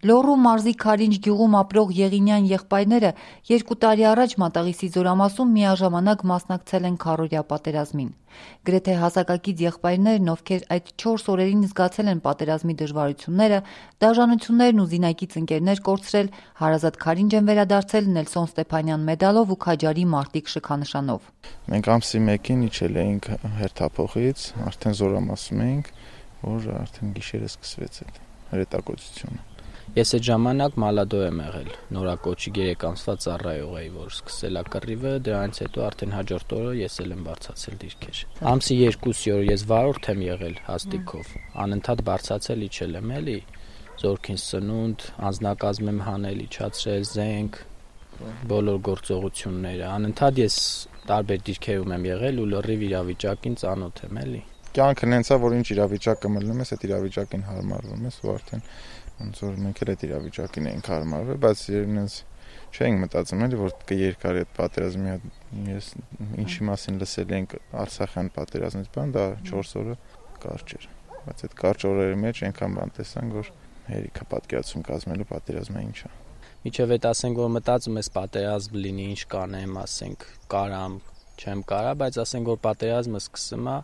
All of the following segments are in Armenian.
Լոռու մարզի Քարինջ գյուղում ապրող Եղինյան եղբայրները 2 տարի առաջ Մատաղիսի Զորամասում միաժամանակ մասնակցել են քառօրյա պատերազմին։ Գրեթե հասակակից եղբայրներն, ովքեր այդ 4 օրերին զգացել են պատերազմի դժվարությունները, դաժանություններն ու զինակից ընկերներ կորցրել, հարազատ Քարինջ են վերադարձել Նելսոն Ստեփանյան մեդալով ու Քաջարի մարտիկ շքանշանով։ Մենք ամսի 1-ին իջել էինք հերթափոխից, արդեն Զորամասում էինք, որ արդեն գիշերը սկսվեց այդ հրետակոծությունը։ Ես այդ ժամանակ մալադո եմ եղել, նորակոչի 3 ամսվա ծառայող էի, որ սկսել է կռիվը, դրանից հետո արդեն հաջորդ օրը ես էլ եմ բարձացել դիրքեր։ Ամսի 2-ի օր ես վարորդ եմ եղել հաստիկով, անընդհատ բարձացել իջել եմ էլի, զորքին սնունդ, անձնակազմ եմ հանել, իջացրել, զենք, բոլոր գործողությունները, անընդհատ ես տարբեր դիրքերում եմ եղել ու լրիվ իրավիճակին ծանոթ եմ էլի։ Կյանքը նենց է, որ ինչ իրավիճակը մտնում ես, այդ իրավիճակին հարմարվում ես ու արդեն ոնց որ մենք էլ այդ իրավիճակին ենք հարմարվել, բայց իրենից չենք մտածում էլի, որ կերկար այդ պատերազմի ես ինչի մասին լսել ենք Արցախյան պատերազմից բան, դա 4 օրը կարճ էր, բայց այդ կարճ օրերի մեջ այնքան բան տեսանք, որ հերիքա պատկերացում կազմելու պատերազմը ինչ է։ Միջև այդ ասենք, որ մտածում ես պատերազմ լինի, ինչ կանեմ, ասենք կարամ, չեմ կարա, բայց ասենք, որ պատերազմը սկսում է,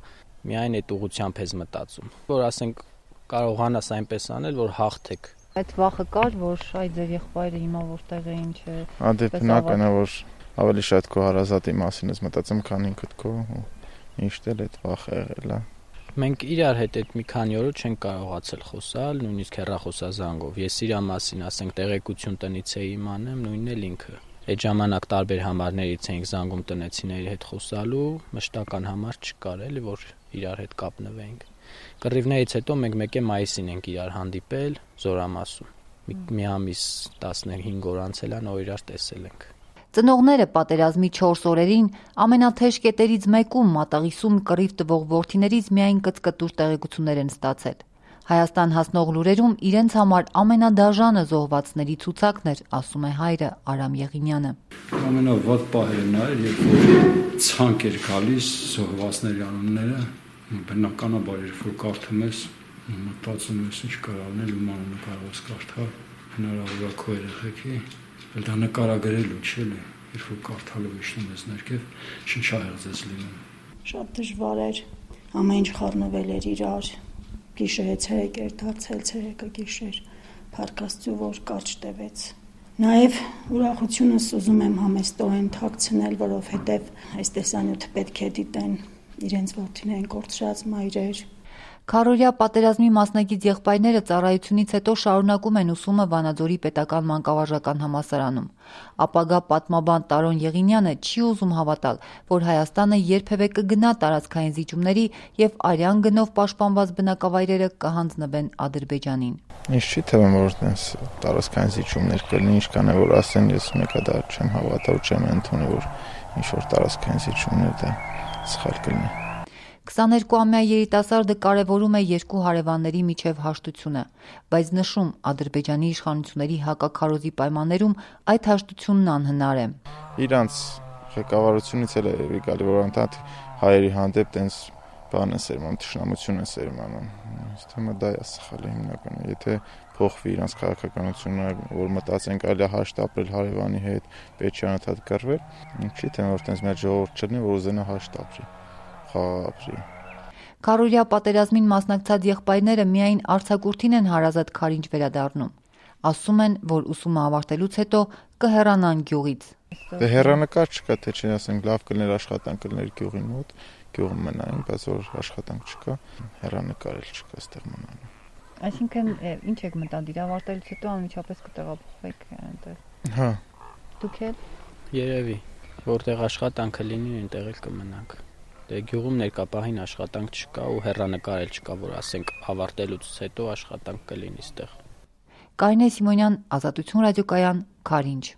միայն այդ ուղղությամբ ես մտածում, որ ասենք կարողանաս այնպես անել, որ հաղթեք։ Այդ վախը կար, որ այ ձեր եղբայրը հիմա որտեղ է, ինչ է։ Դե բնական է, որ ավելի շատ քո հարազատի մասին ես մտածում, քան ինքդ քո, միշտ էլ այդ վախը եղել է։ Մենք իրար հետ այդ մի քանի օր չենք կարողացել խոսալ, նույնիսկ հեռախոսազանգով։ Ես իր մասին, ասենք, տեղեկություն տնից էի իմանեմ, նույնն էլ ինքը։ Այդ ժամանակ տարբեր համարներից էինք զանգում տնեցիների հետ խոսալու, մշտական համար չկար էլի, որ իրար հետ կապնվեինք։ Կռիվներից հետո մենք 1 մայիսին ենք իրար հանդիպել Զորամասում։ Մի ամիս 15 օր անցել է, նոր իրար տեսել ենք։ Ծնողները պատերազմի 4 օրերին ամենաթեժ կետերից մեկում Մատաղիսում կռիվ տվող որդիներից միայն կծկտուր տեղեկություններ են ստացել։ Հայաստան հասնող լուրերում իրենց համար ամենադաժանը զոհվածների ցուցակն էր, ասում է հայրը Արամ Եղինյանը։ Ամենավատ պահերն էր, երբ որ ցանկ էր գալիս զոհվածների անունները, բնականաբար երբ որ կարդում ես, մտածում ես ինչ կարողանել ու մանունը կարող ես կարդալ, հնարավոր է քո երեխեքի, բայց դա նկարագրելու չէ, երբ որ կարդալով իջնում ես ներքև, շնչահեղձ ես լինում։ Շատ դժվար էր, ամեն ինչ խառնվել էր իրար, գիշերը ցերեկ էր դարձել, ցերեկը գիշեր, փառք Աստծո, որ կարճ տևեց։ Նաև ուրախությունս ուզում եմ համեստորեն թաքցնել, որովհետև այս տեսանյութը պետք է դիտեն իրենց որդիներին կորցրած մայրեր։ Քառօրյա պատերազմի մասնակից եղբայրները ծառայությունից հետո շարունակում են ուսումը Վանաձորի պետական մանկավարժական համալսարանում։ Ապագա պատմաբան Տարոն Եղինյանը չի ուզում հավատալ, որ Հայաստանը երբևէ կգնա տարածքային զիջումների եւ արյան գնով պաշտպանված բնակավայրերը կհանձնվեն Ադրբեջանին։ Ինչ չի թվում, որ այնպես տարածքային զիջումներ կլինի, ինչքան է որ ասեն, ես մեկը դա չեմ հավատա ու չեմ ընդունի, որ ինչ որ տարածքային զիջումներ դա սխալ կլինի։ 22-ամյա երիտասարդը կարևորում է 2 հարևանների միջև հաշտությունը, բայց նշում Ադրբեջանի իշխանությունների հակաքարոզի պայմաններում այդ հաշտությունն անհնար է։ Իրանց ղեկավարությունից էլ է գալի, որ անտանդ հայերի հանդեպ տենց բան է սերմանում, թշնամություն է սերմանում։ Ըստ իմը դա է սխալը հիմնականը։ Եթե փոխվի իրանց քաղաքականությունը, որ մտածենք այլ հաշտ ապրել հարևանի հետ, պետք է անընդհատ կռվել, ինչի՞ թե որ տենց մեր ժողովուրդ չլինի, որ ուզենա հաշտ ապրի։ Քառօրյա պատերազմին մասնակցած եղբայրները միայն արձակուրդին են հարազատ Քարինջ վերադառնում։ Ասում են, որ ուսումը ավարտելուց հետո կհեռանան գյուղից։ Դե հեռանկար չկա, թե չի ասենք լավ կլներ աշխատանք կլներ գյուղի մոտ, գյուղում մնային, բայց որ աշխատանք չկա, հեռանկար էլ չկա այստեղ մնալու։ Այսինքն ինչ եք մտադիր ավարտելուց հետո անմիջապես կտեղափոխվեք այնտեղ։ Հա։ Դուք էլ։ Երևի, որտեղ աշխատանքը լինի, այնտեղ էլ կմնանք։ Դե գյուղում ներկապահին աշխատանք չկա ու հեռանկար էլ չկա, որ ասենք ավարտելուց հետո աշխատանք կլինի այստեղ։ Կարինե Սիմոնյան, Ազատություն ռադիոկայան, Քարինջ։